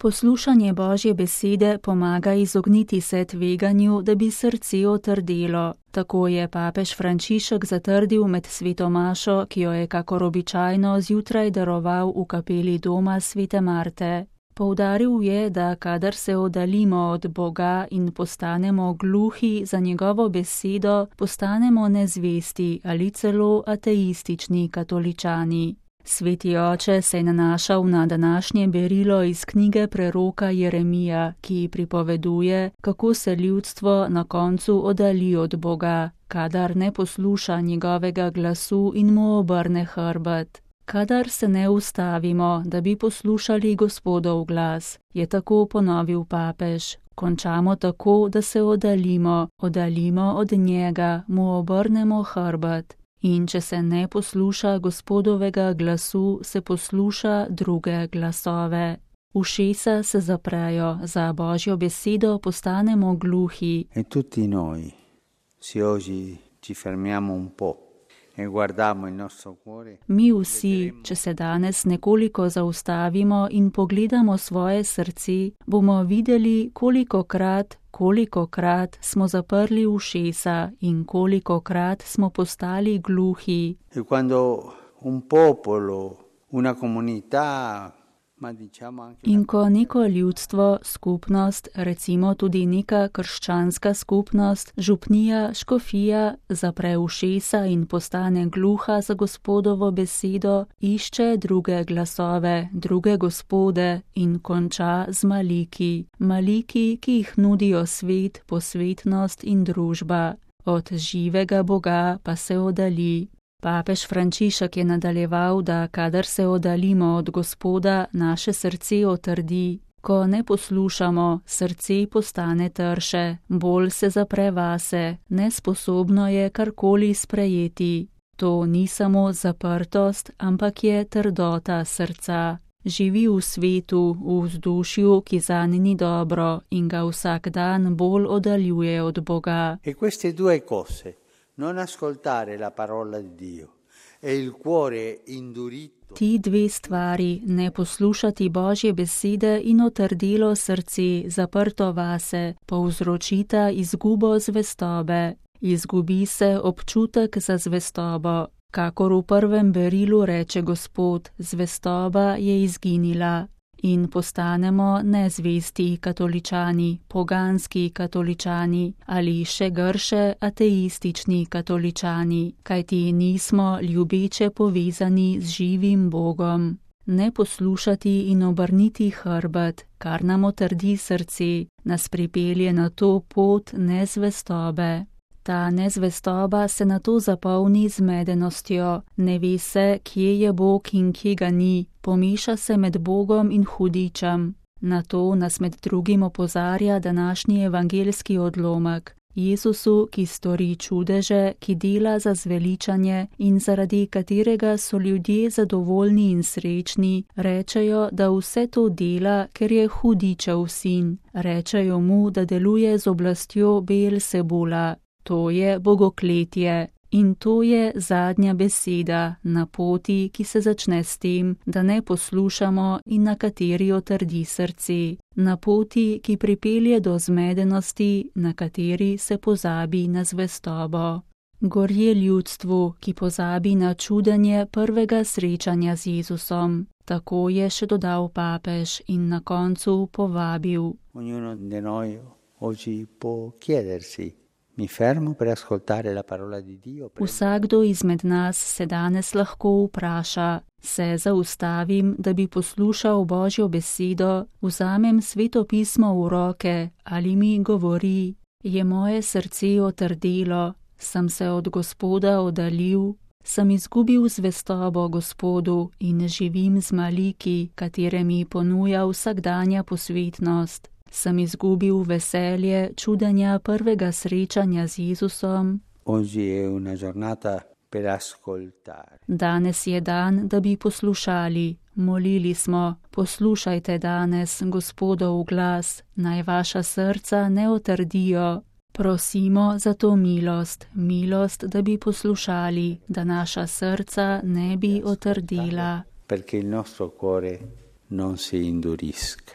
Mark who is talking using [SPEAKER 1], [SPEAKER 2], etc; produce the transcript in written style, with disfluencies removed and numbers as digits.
[SPEAKER 1] Poslušanje Božje besede pomaga izogniti se tveganju, da bi srce otrdelo. Tako je papež Frančišek zatrdil med sveto mašo, ki jo je kakor običajno zjutraj daroval v kapeli doma svete Marte. Poudaril je, da kadar se oddaljimo od Boga in postanemo gluhi za njegovo besedo, postanemo nezvesti ali celo ateistični katoličani. Sveti oče se je nanašal na današnje berilo iz knjige preroka Jeremija, ki pripoveduje, kako se ljudstvo na koncu oddalji od Boga, kadar ne posluša njegovega glasu in mu obrne hrbet. Kadar se ne ustavimo, da bi poslušali Gospodov glas, je tako ponovil papež. Končamo tako, da se oddaljimo od njega, mu obrnemo hrbet. In če se ne posluša Gospodovega glasu, se posluša druge glasove. Ušesa se zaprejo, za Božjo besedo postanemo gluhi.
[SPEAKER 2] E tutti noi, se oggi ci fermiamo un po' e guardiamo il nostro cuore.
[SPEAKER 1] Mi vsi, če se danes nekoliko zaustavimo in pogledamo svoje srce, bomo videli, kolikokrat smo zaprli ušesa in kolikokrat smo postali gluhi.
[SPEAKER 2] E quando un popolo, una comunità, ma diciamo anche
[SPEAKER 1] in ko neko ljudstvo, skupnost, recimo tudi neka krščanska skupnost, župnija, škofija, zapre ušesa in postane gluha za Gospodovo besedo, išče druge glasove, druge gospode in konča z maliki. Maliki, ki jih nudijo svet, posvetnost in družba. Od živega Boga pa se oddalji. Papež Frančišek je nadaljeval, da kadar se oddaljimo od Gospoda, naše srce otrdi. Ko ne poslušamo, srce postane trše, bolj se zapre vase, nesposobno je karkoli sprejeti. To ni samo zaprtost, ampak je trdota srca. Živi v svetu, v vzdušju, ki zanj ni dobro in ga vsak dan bolj oddaljuje od Boga.
[SPEAKER 2] E queste due cose. Non ascoltare la parola di Dio e il cuore indurito.
[SPEAKER 1] Ti dve stvari, ne poslušati Božje besede in otrdelo srce, zaprto vase, povzročita izgubo zvestobe. Izgubi se občutek za zvestobo. Kakor v prvem berilu reče Gospod, zvestoba je izginila. In postanemo nezvesti katoličani, poganski katoličani ali še grše ateistični katoličani, kajti nismo ljubeče povezani z živim Bogom. Ne poslušati in obrniti hrbet, kar nam otrdi srce, nas pripelje na to pot nezvestobe. Ta nezvestoba se nato zapolni zmedenostjo, ne ve se, kje je Bog in kje ga ni, pomeša se med Bogom in hudičem. Na to nas med drugim opozarja današnji evangeljski odlomek. Jezusu, ki stori čudeže, ki dela za zveličanje in zaradi katerega so ljudje zadovoljni in srečni, rečejo, da vse to dela, ker je hudičev sin. Rečejo mu, da deluje z oblastjo Beelzebula. To je bogokletje in to je zadnja beseda na poti, ki se začne s tem, da ne poslušamo in na kateri otrdi srce. Na poti, ki pripelje do zmedenosti, na kateri se pozabi na zvestobo. Gorje ljudstvu, ki pozabi na čudenje prvega srečanja z Jezusom. Tako je še dodal papež in na koncu povabil.
[SPEAKER 2] Ognuno di noi oggi può chiedersi. Mi fermo per ascoltare la parola di Dio.
[SPEAKER 1] Vsakdo izmed nas se danes lahko vpraša, se zaustavim, da bi poslušal Božjo besedo, vzamem sveto pismo v roke ali mi govori, je moje srce otrdelo, sem se od Gospoda oddaljil, sem izgubil zvestobo Gospodu in živim z maliki, katere mi ponuja vsakdanja posvetnost. Sem izgubil veselje čudenja prvega srečanja z Jezusom. Danes je dan, da bi poslušali. Molili smo, poslušajte danes Gospodov glas, naj vaša srca ne otrdijo. Prosimo za to milost, da bi poslušali, da naša srca ne bi otrdila.
[SPEAKER 2] Perché il nostro cuore non si indurisca.